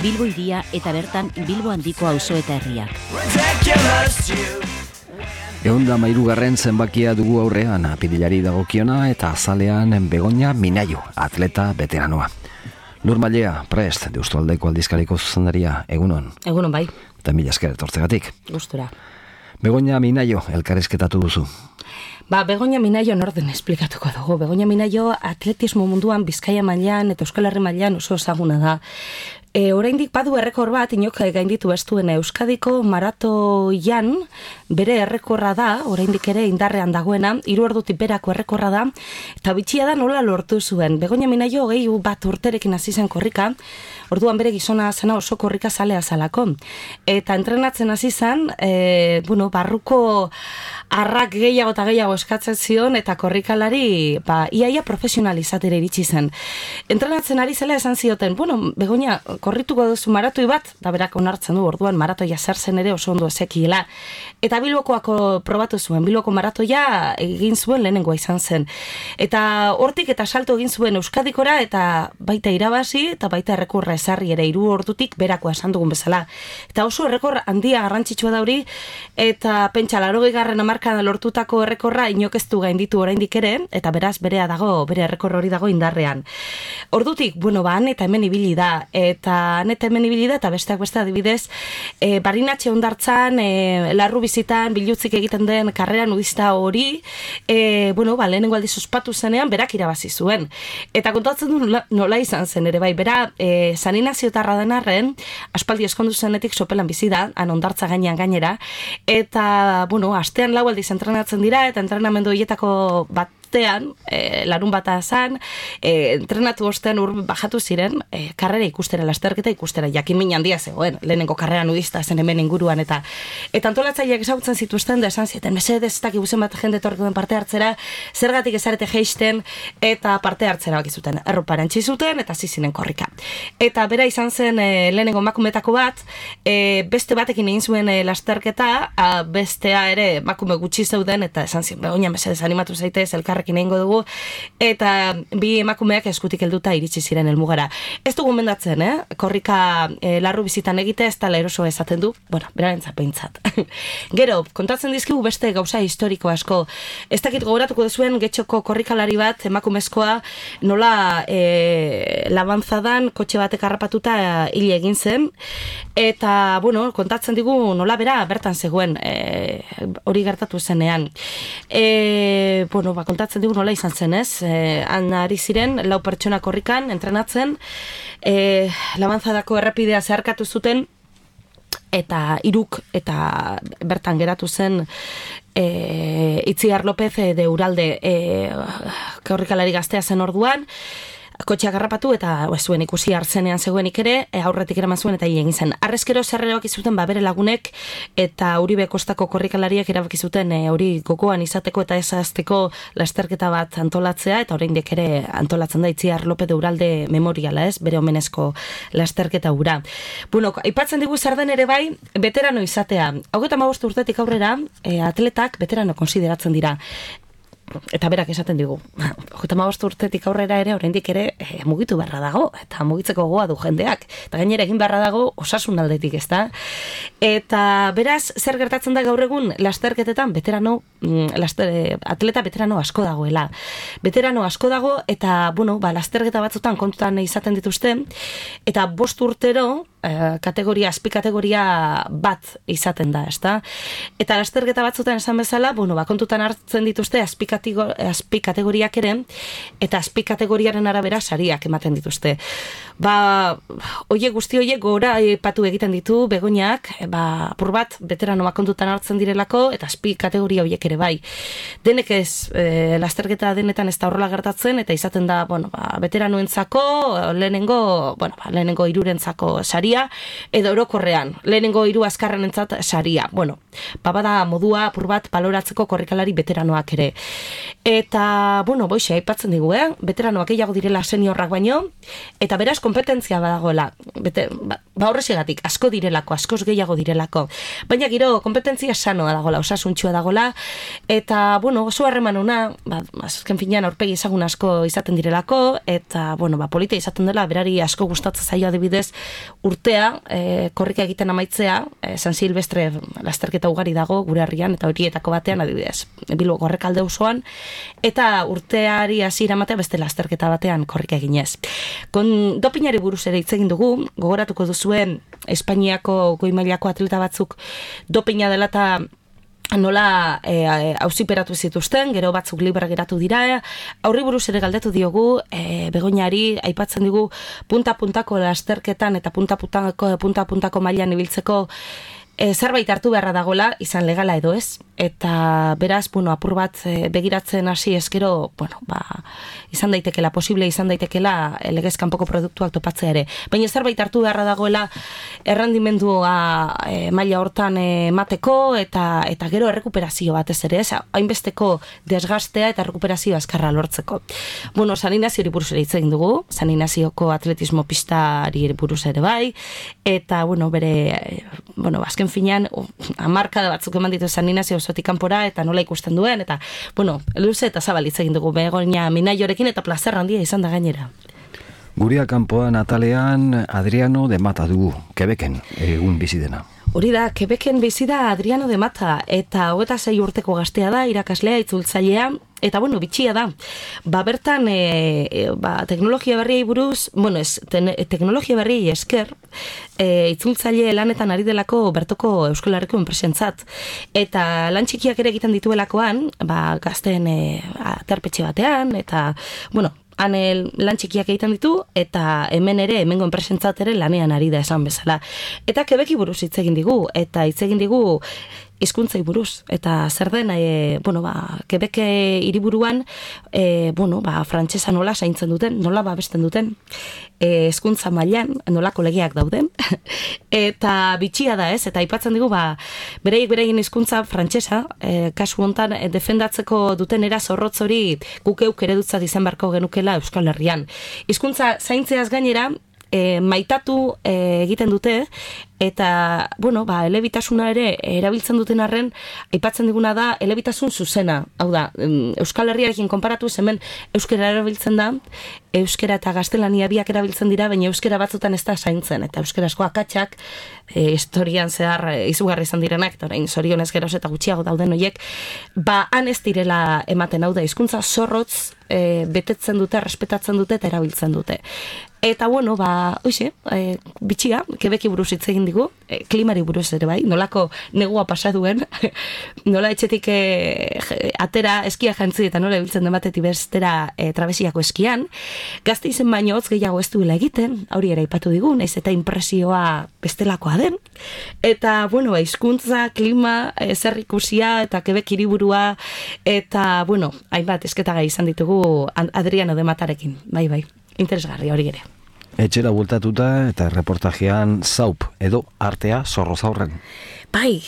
Bilbo hiria eta bertan Bilbo handiko auzo eta herriak. 113. zenbakia dugu aurrean, apirilari dagokiona eta azalean Begoña Minayo, atleta veteranoa. Lur Mailea, prest, Deustualdeko aldizkariko zuzendaria, egunon. Egunon bai. Eta mila esker etortzegatik. Gustura. Begoña Minayo, elkarrizketatu duzu. Begoña Minayo norden esplikatuko dugu. Begoña Minayo atletismo munduan Bizkaia mailan eta Euskal Herri mailan oso ezaguna da. Oraindik badu errekor bat, inok gainditu ez duen Euskadiko maratoian, bere errekorra da, oraindik ere indarrean dagoena, 3 ordutik berako errekorra da, eta bitxia da nola lortu zuen. Begoña Minayo 21 urterekin hasi zen korrika, orduan bere gizona zena oso korrika zalea zalako. Eta entrenatzen hasi zen, barruko arrak gehiago eta gehiago eskatzen zion, eta korrikalari, iaia profesionalizatera iritsi zen. Entrenatzen ari zela esan zioten, Begoña, korrituko duzu maratoi bat, da berak onartzen du orduan maratoia zer zen ere oso ondo ezekiela. Eta Bilbokoako probatu zuen, Bilboko maratoia egin zuen lehenengoa izan zen. Eta hortik eta salto egin zuen Euskadikora eta baita irabazi eta baita errekorra ezarri ere 3 ordutik berakoa esan dugun bezala. Eta oso errekor handia garrantzitsua da hori eta pentsa 80. hamarkadan lortutako errekorra inok ez du gainditu oraindik ere eta beraz bere errekor hori dago indarrean. Ordutik, han eta hemen ibili da eta hemen ibili da eta besteak beste adibidez Barinatxe hondartzan larru bizitan bilutzik egiten den karrera nudista hori lehenengo aldiz ospatu zenean berak irabazi zuen. Eta kontatzen du nola izan zen ere bai, bera San Inaziotarra den arren, aspaldi eskondu zenetik sopelan bizi da, han hondartza gainean gainera, eta astean 4 aldiz entrenatzen dira eta entrenamendu horietako larun bata zan, entrenatu ostean bajatu ziren, karrera ikustera, lasterketa ikustera, jakin handia zegoen, lehenengo karrera nudista zen hemen inguruan, eta antolatzaileak ezagutzen zituzten, da esan zieten, mesedez, ez dakik buzen bat jende etorriko den parte hartzera, zergatik ezarete jeisten, eta parte hartzera bakizuten, erropa erantzi zuten, eta zizinen korrika. Eta bera izan zen lehenengo emakumetako bat, beste batekin egin zuen lasterketa, bestea ere emakume gutxi zeuden, eta esan zien, Begoña, mesedez, animatu zaitez, elkarrekin egingo dugu, eta bi emakumeak eskutik helduta iritsi ziren helmugara. Ez dugu mendatzen, korrika larru bizitan egite, ez tala eroso esaten du, berarentzat behintzat. Gero, kontatzen dizkigu beste gauza historiko asko. Ez dakit gogoratuko duzuen Getxoko korrikalari bat, emakumezkoa, nola labanzadan kotxe batek harrapatuta hil egin zen, eta, kontatzen digu nola bera bertan zegoen, hori gertatu zenean. Kontatzen digu nola izan zen, ez? Han ari ziren, 4 pertsona korrikan, entrenatzen, labanzadako errepidea zeharkatu zuten, eta 3 eta bertan geratu zen Itziar López de Uralde korrikalari gaztea zen orduan, kotxeak harrapatu eta zuen ikusi hartzenean zegoenik ere, aurretik eraman zuen eta egin zen. Arrezkero zerreroak izuten bere lagunek eta Uribe Kostako korrikalariak erabaki zuten hori gogoan izateko eta ezazteko lasterketa bat antolatzea, eta oraindik ere antolatzen da Itziar López de Uralde memoriala, ez, bere omenezko lasterketa hura. Aipatzen digu zer den ere bai, veterano izatea. 35 urtetik aurrera, atletak veterano konsideratzen dira. Eta berak esaten digu, 35 urtetik aurrera ere, oraindik ere mugitu beharra dago, eta mugitzeko gogoa du jendeak. Eta gainera egin beharra dago osasun aldetik, ez da? Eta beraz, zer gertatzen da gaur egun lasterketetan, atleta veterano asko dagoela. Veterano asko dago, eta, lasterketa batzutan kontutan izaten dituzte, eta 5 urtero, azpikategoria bat izaten da, ezta? Eta lasterketa batzutan esan bezala, kontutan hartzen dituzte azpikategoriak ere, eta azpikategoriaren arabera sariak ematen dituzte. Guzti horiek gora epatu egiten ditu Begoñak, apur bat veteranoak kontutan hartzen direlako, eta azpikategoria horiek ere bai. Denek ez, lasterketa denetan ez da horrela gertatzen, eta izaten da, veteranoentzako, lehenengo 3rentzako saria, saria, edo orokorrean, lehenengo 3 azkarrenentzat saria. Bueno, bada modua apur bat baloratzeko korrikalari veteranoak ere. Eta, bueno, boixe, aipatzen digu, veteranoak gehiago direla seniorrak baino, eta beraz kompetentzia badagoela, horrezegatik, asko direlako, askoz gehiago direlako. Baina gero, kompetentzia sanoa dagoela, osasuntxua dagoela, eta, bueno, oso harreman ona, azken finean aurpegi ezagun asko izaten direlako, eta, bueno, polita izaten dela, berari asko gustatzen zaio adibidez urtea, korrika egiten amaitzea, San Silvestre lasterketa ugari dago, gure herrian, eta horietako batean adibidez, Bilboko Errekalde auzoan, eta urteari hasiera ematea beste lasterketa batean korrika eginez. Dopinari buruz ere hitz egin dugu, gogoratuko duzuen Espainiako goi mailako atleta batzuk dopina dela eta nola auziperatu zituzten, gero batzuk libre geratu dira, aurri buruz ere galdetu diogu, Begoñari aipatzen digu punta-puntako lasterketan eta punta-puntako mailan ibiltzeko zerbait hartu beharra dagoela, izan legala edo ez, eta beraz, bueno, apur bat begiratzen hasi eskero, bueno, izan daitekela, posible izan daitekela legez kanpoko produktuak topatzea ere. Baina zerbait hartu beharra dagoela errendimendua maila hortan emateko eta gero errekuperazio batez ere, ez, hainbesteko desgastea eta errekuperazio azkarra lortzeko. Bueno, San Inaziori buruz ere hitz egin dugu, San Inazioko atletismo pistari buruz ere bai, eta, bueno, azken finean, hamarkada batzuk eman ditu San Inazio osotik kanpora eta nola ikusten duen, eta, bueno, luze eta zabal hitz egin dugu Begoña Minaiorekin eta plazer handia izan da gainera. Guria kanpoan atalean Adriano de Mata dugu, Quebecen egun bizi dena. Hori da, Quebecen bizi da Adriano de Mata, eta 26 urteko gaztea da, irakaslea, itzultzailea, eta, bueno, bitxia da. Bertan, teknologia berriei buruz, bueno, teknologia berriei esker, itzultzaile lanetan ari delako bertoko Euskal Herriko enpresentzat. Eta lan txikiak ere egiten dituelakoan, gazten aterpetxe batean, eta, bueno, han lan txikiak egiten ditu, eta hemen ere, hemengo enpresentzat ere lanean ari da esan bezala. Eta Quebeci buruz hitz egin digu, eta hitz egin digu hizkuntzai buruz, eta zer den, Quebec hiriburuan, frantsesa nola zaintzen duten, nola babesten duten, hizkuntza mailan nolako legeak dauden, eta bitxia da ez, eta aipatzen digu, bereien hizkuntza frantsesa, kasu hontan defendatzeko duten era zorrotz hori gukeuk eredutzat izan beharko genukela Euskal Herrian. Hizkuntza zaintzeaz gainera, maitatu egiten dute, eta, elebitasuna ere erabiltzen duten arren, aipatzen diguna da, elebitasun zuzena. Hau da, Euskal Herriarekin konparatu hemen euskera erabiltzen da, euskera eta gaztelania biak erabiltzen dira, baina euskera batzutan ez da zaintzen, eta euskerasko akatsak, historian zehar izugarri izan direnak, eta orain zorionez geroz eta gutxiago dauden horiek, han ez direla ematen, hau da, hizkuntza zorrotz betetzen dute, respetatzen dute eta erabiltzen dute. Eta, bitxia, Quebeci buruz hitz egin digu, klimari buruz ere bai, nolako negua pasa duen, nola etxetik atera eskia jantzi eta nola ibiltzen dematetik bestera trabesiako eskian, gazte izen baino hotz gehiago ez duela egiten, hori ere aipatu digu, naiz eta impresioa bestelakoa den, eta, hizkuntza, klima, zer ikusia eta Quebec hiriburua, eta, hainbat esketagai izan ditugu Adriano de Matarekin, bai, interesgarri hori ere. Etxera bueltatuta eta reportajean zaup edo artea zorrozaurren. Bai,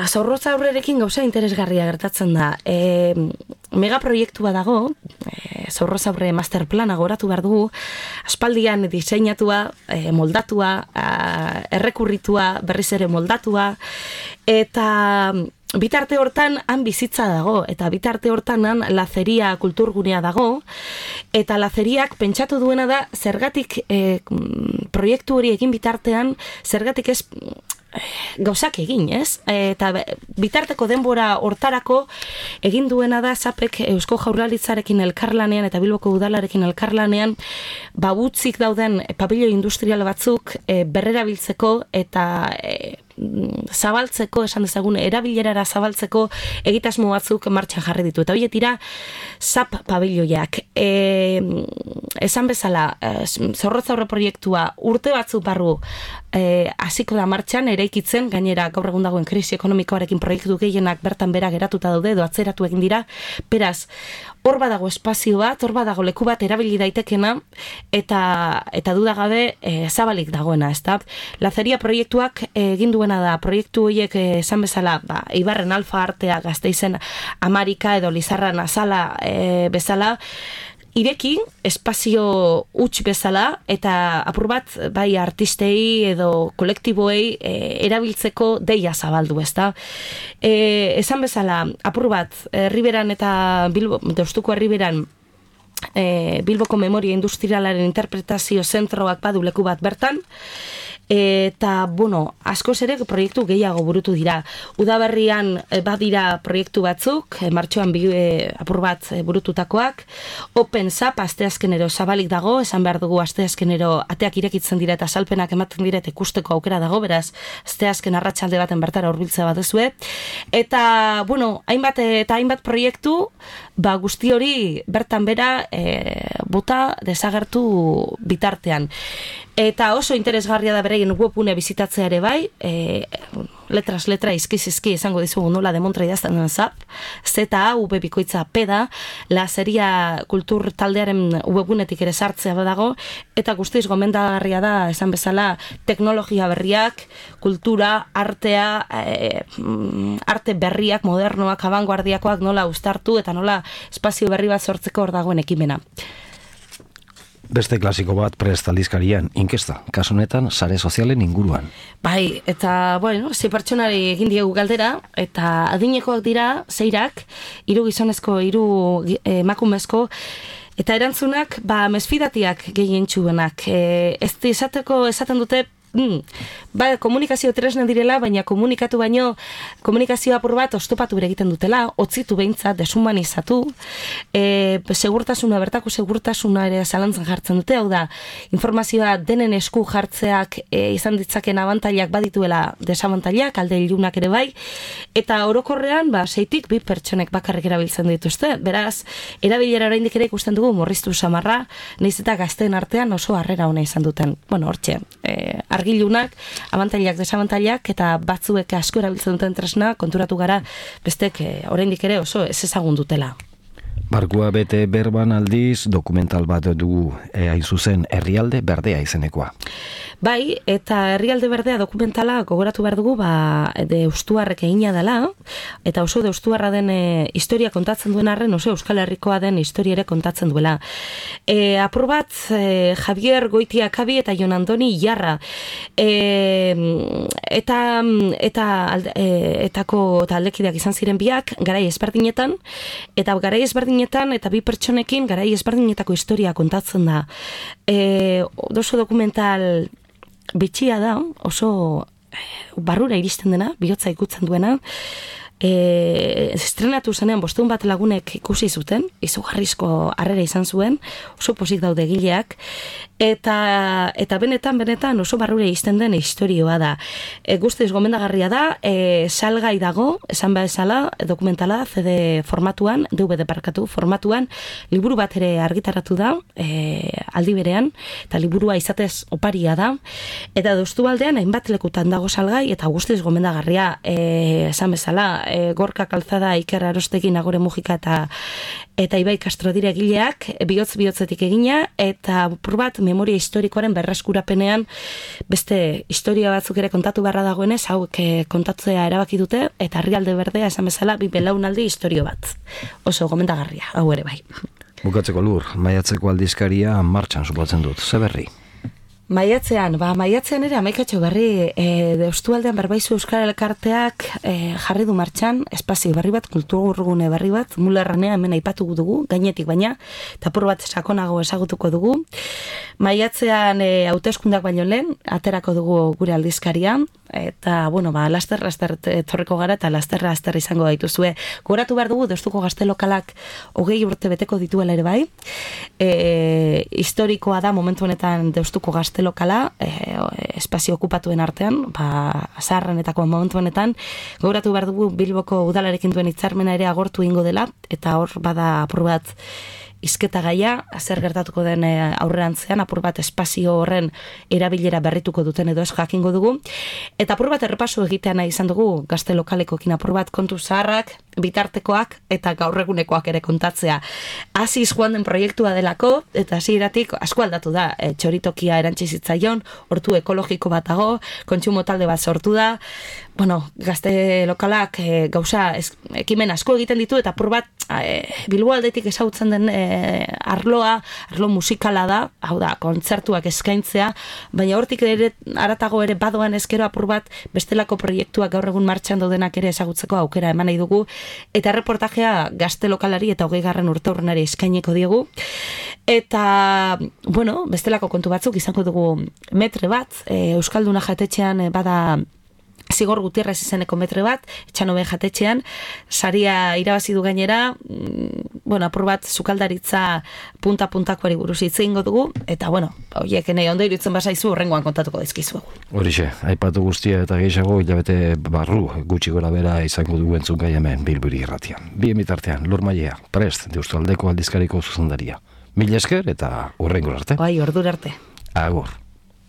zorrozaurrerekin gauza interesgarria gertatzen da. Megaproiektua dago, zorrozaurre masterplana goratu behar dugu, aspaldian diseinatua, moldatua, errekurritua, berriz ere moldatua, eta bitarte hortan han bizitza dago, eta bitarte hortan han lazeria kulturgunea dago, eta lazeriak pentsatu duena da zergatik proiektu hori egin bitartean, zergatik ez gauzak egin, ez? Eta bitarteko denbora hortarako egin duena da Zapek Eusko Jaurlaritzarekin elkarlanean eta Bilboko Udalarekin elkarlanean utzik dauden pabilo industrial batzuk berrerabiltzeko eta zabaltzeko, esan dezagun, erabilerara zabaltzeko egitasmo batzuk martxan jarri ditu. Eta horiek dira Zap pabiloiak. esan bezala, zorrotzaurre proiektua urte batzu barru hasiko da martxan, eraikitzen, gainera gaur egun dagoen krisi ekonomikoarekin proiektu gehienak bertan bera geratuta daude, edo atzeratu egin dira, beraz, hor badago espazio bat, hor badago leku bat erabili daitekena, eta dudagabe zabalik dagoena, ezta? Lazeria proiektuak egin duena da, proiektu horiek esan bezala, Ibarren Alfa Artea Gasteizen Amarika edo Lizarran Azala bezala, ireki, espazio huts bezala, eta apur bat, bai artistei edo kolektiboei erabiltzeko deia zabaldu, ezta? Esan bezala, apur bat, Herriberan eta Deustuko Herriberan, Bilboko Memoria Industrialaren interpretazio zentroak badu leku bat bertan, eta, bueno, askoz ere proiektu gehiago burutu dira. Udaberrian badira proiektu batzuk, martxoan apur bat burututakoak, Open Zap asteazkenero zabalik dago, esan behar dugu asteazkenero ateak irekitzen dira eta salpenak ematen dira eta ikusteko aukera dago, beraz, asteazken arratsalde baten bertara hurbiltzea baduzue. Eta, bueno, hainbat proiektu, guzti hori bertan bera bota desagertu bitartean. Eta oso interesgarria da bereien webgune bizitatzea ere bai, letras letra izki esango dizugu nola demontra idazten den Zap, ZAV bikoitza P da, Lazeria kultur taldearen webgunetik ere sartzea badago, eta guztiz gomendagarria da, esan bezala, teknologia berriak, kultura, artea, arte berriak, modernoak, abanguardiakoak nola uztartu, eta nola espazio berri bat sortzeko hor dagoen ekimena. Beste klasiko bat Prest aldizkarian, inkesta, kasu honetan sare sozialen inguruan. Bai, eta, bueno, 6 pertsonari egin diegu galdera, eta adinekoak dira, 6 3 gizonezko, 3 emakumezko, eta erantzunak, mesfidatiak gehientsuenak. Ez esaten dute, komunikazio tresnen direla, baina komunikatu baino, komunikazio apur bat oztopatu ere egiten dutela, otzitu behintzat, deshumanizatu, segurtasuna, bertako segurtasuna ere zalantzan jartzen dute, hau da, informazioa denen esku jartzeak izan ditzaken abantailak badituela desabantailak, alde ilunak ere bai, eta orokorrean, 6 2 pertsonek bakarrik erabiltzen dituzte, beraz, erabilera oraindik ere ikusten dugu morriztu samarra, nahiz eta gazteen artean oso harrera ona izan duten. Bueno, hortxe, argilunak, abantailak, desabantailak, eta batzuek asko erabiltzen duten tresna, konturatu gara, bestek oraindik ere oso ez ezagun dutela. Barkua bete berban aldiz, dokumental bat dugu hain zuzen Herrialde Berdea izenekoa. Bai, eta Herrialde Berdea dokumentala gogoratu behar dugu, deustuarrek egina dela, eta oso deustuarra den historia kontatzen duen arren, oso Euskal Herrikoa den historia ere kontatzen duela. Apur bat, Javier Goitiakabi eta Jon Andoni Jarra, etako taldekideak izan ziren biak, garai ezberdinetan, eta garai ezberdinetan, eta 2 pertsonekin garai ezberdinetako historia kontatzen da. Oso dokumental bitxia da, oso barrura iristen dena, bihotza ikutzen duena, estrenatu zenean 500 bat lagunek ikusi zuten, izugarrizko harrera izan zuen, oso pozik daude egileak, eta benetan oso barrura izten den historioa da. Guztiz gomendagarria da, salgai dago, esan bezala, dokumentala CD formatuan, DVD formatuan, liburu bat ere argitaratu da, aldi berean, eta liburua izatez oparia da, eta Deustualdean hainbat lekutan dago salgai, eta guztiz gomendagarria, esan bezala, Gorka Kalzada, Iker Arostekin, Agore Mujika eta Ibai Castro dira egileak, bihotzetik egina, eta pur bat memoria historikoaren berreskurapenean beste historia batzuk ere kontatu beharra dagoenez, hauek kontatzea erabaki dute, eta Herrialde Berdea esan bezala 2 belaunaldi historio bat. Oso gomendagarria, hau ere bai. Bukatzeko Lur, maiatzeko aldizkaria martxan supotzen dut, ze berri? Maiatzean ere amaikatxo berri Deustualdean Berbaizu Euskal Elkarteak jarri du martxan espazio berri bat, kulturgune berri bat, Mulerranea hemen aipatu dugu, gainetik baina, eta apur bat sakonago ezagutuko dugu. Maiatzean hauteskundak baino lehen, aterako dugu gure aldizkaria, eta, bueno, laster etorriko gara, eta laster izango gaituzue. Gogoratu behar dugu, Deustuko Gazte Lokalak 20 urte beteko dituela ere bai, historikoa da momentu honetan Deustuko Gazte Lokala, espazio okupatuen artean, zaharrenetako momentu honetan, gogoratu behar dugu Bilboko udalarekin duen hitzarmena ere agortu ingo dela, eta hor bada apur bat hizketa gaia, zer gertatuko den aurrerantzean, apur bat espazio horren erabilera berrituko duten edo ez jakingo dugu. Eta apur bat errepaso egitea nahi izan dugu gazte lokalekoekin, apur bat kontu zaharrak, bitartekoak eta gaur egunekoak ere kontatzea. Hasiz joan den proiektua delako, eta hasieratik asko aldatu da. Txoritokia erantzi zitzaion, hortu ekologiko bat dago, kontsumo talde bat sortu da. Bueno, gazte lokalak gauza ekimen asko egiten ditu, eta apur bat Bilbo aldetik ezagutzen den arlo musikala da, hau da, kontzertuak eskaintzea, baina hortik ere haratago ere badoan ezkero apur bat bestelako proiektuak gaur egun martxan daudenak ere ezagutzeko aukera eman nahi dugu, eta reportajea gazte lokalari eta 20. urteurrenari eskaineko diegu. Eta, bueno, bestelako kontu batzuk izango dugu metre bat, Euskalduna jatetxean bada Zigor Gutierrez izeneko metre bat, Etxanobe jatetxean, saria irabazi du gainera, bueno, apur bat sukaldaritza punta-puntakoari buruz hitz egingo dugu, eta, bueno, horiek nahi ondo iruditzen basaizu horrengoan kontatuko dizkizuegu. Horixe, aipatu guztia eta gehiago hilabete barru gutxi gora bera izango dugu entzungai hemen Bilburi irratian. Bien bitartean, Lur Mailea, prest, Deustualdeko aldizkariko zuzendaria. Mila esker eta hurrengo arte. Bai, ordura arte. Agur.